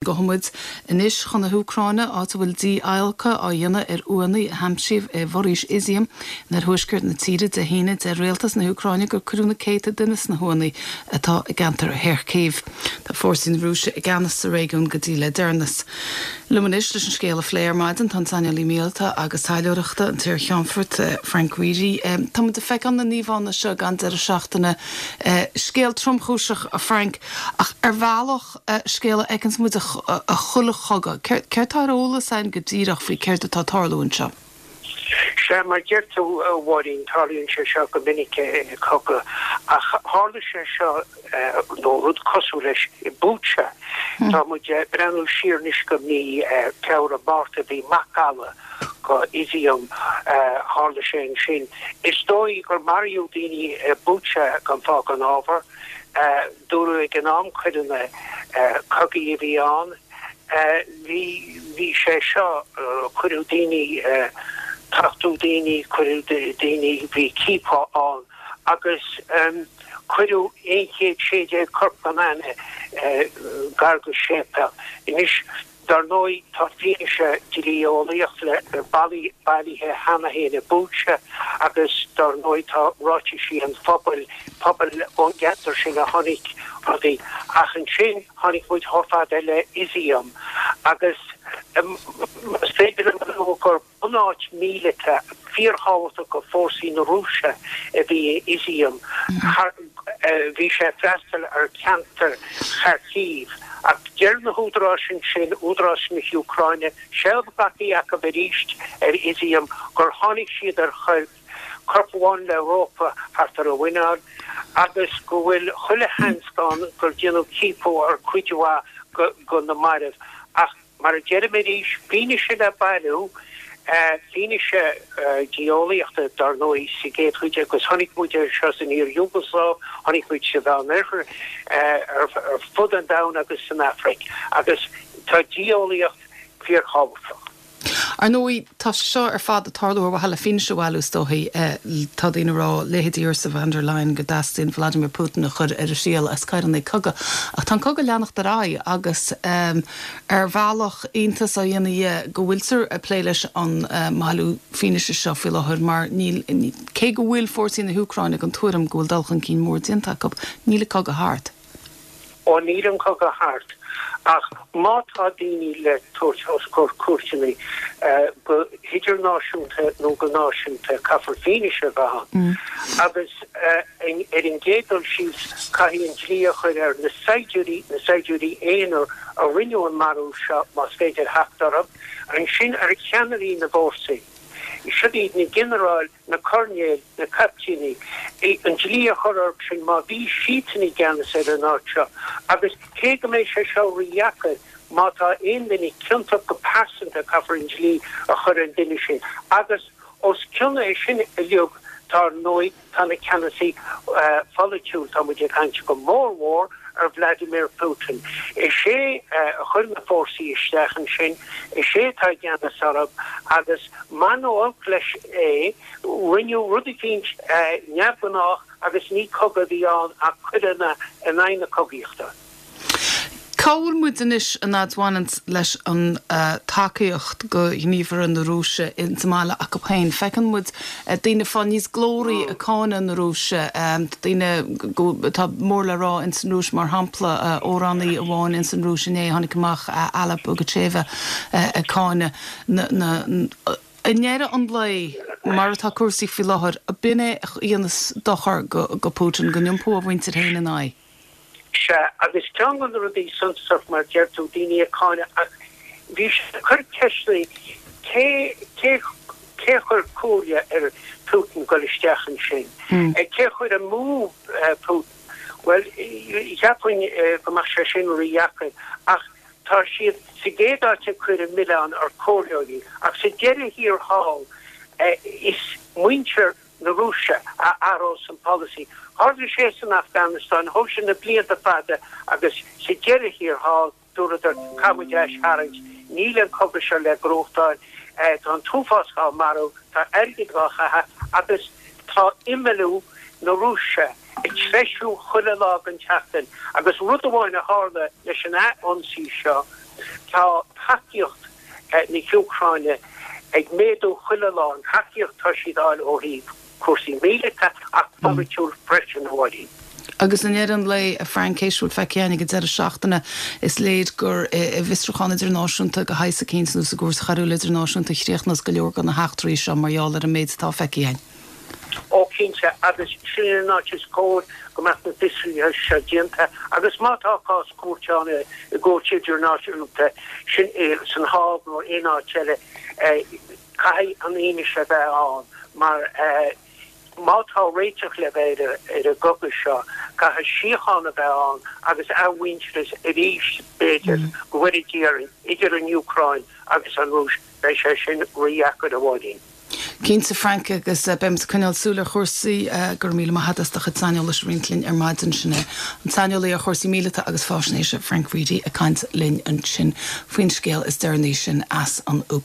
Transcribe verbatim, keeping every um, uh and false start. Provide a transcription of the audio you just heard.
Gabhfaidh muid anois chun na hÚcráine, áit a bhfuil dí-adhlacadh á dhéanamh ar uaigheanna a haimsíodh i bhforaois Izium in oirthuaisceart na tíre Dé hAoine. Deir rialtas na hÚcráine gur cuireadh na céadta duine sna huaigheanna atá i gceantar Kharkiv. Tá fórsaí na Rúise i gceannas sa réigiún go dtí le deireanas. Liom anois leis an scéal a phlé ar maidin tá an saineolaí míleata agus taidhleoireachta an t-iar-cheannfort Frank Reidy. Tá muid ag feiceáil na n-íomhánna seo gan deireadh seachtaine. Scéal tromchúiseach a Frank ach ar bhealach scéal a fheiceanns muid i chuile chogadh. Céard tá ar eolas againn go díreach faoi céard atá ag tarlú anseo? Sea, mar a deir tú, a Mháirín, tarlaíonn sé seo go minic i gcogadh, ach tharla sé seo, nó rud cosúil leis, i Bucha. Tá muid ag breathnú siar anois go mí Feabhra, Márta, bhí macalla go Izium, tharla sé ansin. Is dóigh gur maraíodh daoine i Bucha gan fáth gan ábhar. Dúradh ag an am coireanna cogaidh a bhí ann. Bhí, bhí sé seo, cuireadh daoine, tachtadh daoine, cuireadh daoine, bhí ciapadh ann agus cuireadh aon chéad sé déag corp gan aithne gar go séipéal. Anois, Dar ndóigh, tá fianaise dlí-eolaíoch le bailithe cheana féin i Bucha agus dar ndóigh tá ráitisí an phobail, pobail ón gceantar sin a chonaic rudaí. Ach ansin tháinig muid chomh fada le Izium agus más féidir liom a lua gur bunáit míleata fíorthábhachtach do fórsaí na Rúise a bhí i Izium. Bhí sé ag freastal ar cheantar Kharkiv. Ach deir na húdaráis ansin, údaráis na hÚcráine, seilbh glactha acu arís ar Izium, gur tháinig siad ar choirp, corp amháin le rópa thart ar a mhuineál, agus go bhfuil chuile sheans ann gur déanadh ciapadh ar chuid mhaith de na mairbh. Ach. Mar a deirim arís, fianaise le bailiú, fianaise dlí-eolaíochta, dar ndóigh, sa gcéad chuid, agus chonaic muid é seo san iar-Iúgasláiv, chonaic muid sa Mheánoirthear, ar fud an domhain agus san Afraic, agus tá dlí-eolaíocht fíorthábhachtach. Ar ndóigh, tá sé seo ar fad ag tarlú ar mhaithe le fianaise a bhailiú, is dóichí. Tá daoine ag rá, leithéidí Ursula von der Leyen, go dteastaíonn Vladimir Putin a chur ar a thriail as coireanna cogaidh. Ach tá an cogadh ag leanacht ar aghaidh agus ar bhealach iontas á dhéanamh dhe go bhfuiltear ag plé leis an mbailiú fianaise seo faoi láthair mar níl, cé go bhfuil fórsaí na hÚcráine den tuairim go bhfuil dul chun cinn mór déanta acu, níl an cogadh thart. Ó níl an cogadh thart, ach má tá daoine le tabhairt os comhair cúirteanna, go hidirnáisiúnta nó go náisiúnta, caithfear fianaise a bheith ann. Agus ar an gcéad dul síos, caithfidh an dlí a chur ar na saighdiúirí, na saighdiúirí aonair a rinneadh an marú seo, más féidir theacht orthu, ansin ar cheannairí na bhfórsaí. Siod iad na ginearáil, na coirnéil, na caiptíní, an dlí a chur orthu sin má bhí siadsan i gceannas ar an áit seo. Agus cé go mbeidh sé seo rídheacair, má tá aon duine ciontach go pearsanta caithfear an dlí a chur ar an duine sin. Agus os cionn é sin uilig, tá ar ndóigh, tá na ceannasaí pholaitiúil, tá muid ag caint go mór mhór ar Vladimir Putin. Is é a chuir na fórsaí isteach ansin, is é atá i gceannas orthu agus maith nó olc leis é, rinneadh rud eicínt neamhghnách agus ní cogadh a bhí ann ach coireanna in aghaidh na cogaíochta. Cá bhfuil muid anois an fhad bhaineanns leis an tacaíocht go ghníomhartha na Rúise ins an mbaile acu féin? Feiceann muid daoine ag fáil níos glóraí ag cáineadh na Rúise, daoine atá mór le rá ins an Rúis, mar shampla amhránaí amháin ins an Rúis inné tháinig amach, Alla Pugacheva, ag cáineadh na na I ndeireadh an lae, mar atá cúrsaí faoi láthair, b'in é a dhéanas dochar go Putin, go n-iompódh a mhuintir féin ina aghaidh. Sea, agus ceann de na rudaí suntasach, mar deir tú, daoine ag cáineadh, ach bhí sé ag cur ceisteanna, cé, cé, cé chuir comhairle ar Putin dul isteach ansin? Cé chuir amú Putin? Bhuel, cheapfainn go mbeadh sé sin rídheacair, ach tá siad sa gcéad áit ag cur an milleán ar comhairleoirí, ach sa deireadh thiar thall, is muintir na Rúise a athrós an polasaí. Tharla sé san Afganastáin, thóg sé na blianta fada agus sa deireadh thiar thall dúradar caithfidh muid aistharraingt, níl an cogadh seo le gnóthachtáil, tá an t-uafás dhá marú, tá airgead dhá chaitheamh agus tá imeallú na Rúise ag treisiú chuile lá den tseachtain agus rud amháin a tharla leis an ath-ionsaí seo, Tá tacaíocht na hÚcráine ag méadú chuile lá, an tacaíocht atá siad a fháil ó thaobh cúrsaí míleata ach polaitiúil freisin, a Mháirín. Agus i ndeireadh an lae, a Frank, théis a bhfuil feicthe againn ag an deireadh seachtaine, is léir gur i bhfiosrúchán idirnáisiúnta de shaghas eicínt nó sa gCúirt Choiriúil Idirnáisiúnta a chríochnós go leor de na heachtraí seo mar gheall ar an méid atá feicthe againn. Ó cinnte, agus sin an áit is cóir go mbeadh na fiosruithe seo déanta agus má tá cás cúirte ann i gcúirt idirnáisiúnta, sin san Hág nó aon áit eile, caithfidh an fhianaise a bheith ann mar má tá réiteach le bheith ar an gcogadh seo, caithfidh síocháin a bheith ann agus athmhuintearas arís, b'fhéidir, go bhfóire Dia orainn, idir an Úcráin agus an Rúis, beidh sé sin rídheacair, a Mháirín. Cinnte, Frank, agus beimid ag coinneáil súil ar chúrsaí. Go raibh míle maith agat as do chuid saineolais a roinnt linn ar maidin. Sin é an saineolaí ar chúrsaí míleata agus faisnéise, Frank Reidy, ag caint linn ansin faoin scéal is deireanaí sin as an Úcráin.